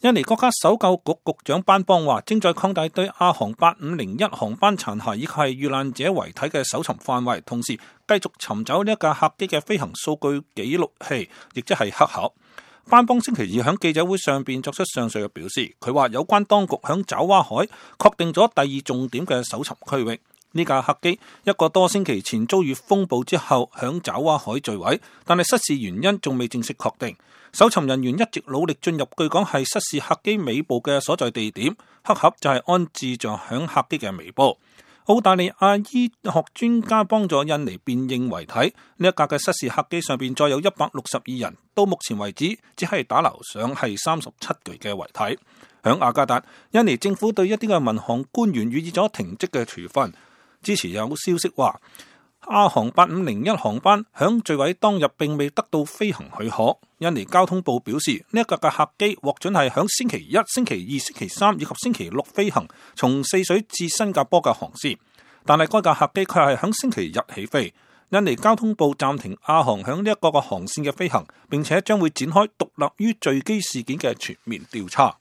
印尼國家搜救局局長班邦話，正在擴大對亞航8501航班殘骸以及係遇難者遺體嘅搜尋範圍，同時繼續尋找呢一架客機嘅飛行數據記錄器，亦即係黑盒。班邦星期二喺記者會上邊作出上述嘅表示，佢話有關當局響爪哇海確定咗第二重點嘅搜尋區域。呢架客機一個多星期前遭遇風暴之後響爪哇海墜毀，但係失事原因仲未正式確定。搜尋人員一直努力進入據講係失事客機尾部嘅所在地點，黑盒就係安置在響客機嘅尾部。澳大利亞醫學專家幫助印尼辨認遺體，呢一架嘅失事客機上邊載有162人，到目前為止只係打撈上係37具嘅遺體。響雅加達，印尼政府對一啲嘅民航官員予以咗停職嘅處分。之前有消息話，亞航8501航班響墜毀當日並未得到飛行許可。印尼交通部表示，呢一架嘅客機獲准係響星期一、星期二、星期三以及星期六飛行，從泗水至新加坡嘅航線。但係該架客機卻係響星期日起飛。印尼交通部暫停亞航響呢一個嘅航線嘅飛行，並且將會展開獨立於墜機事件嘅全面調查。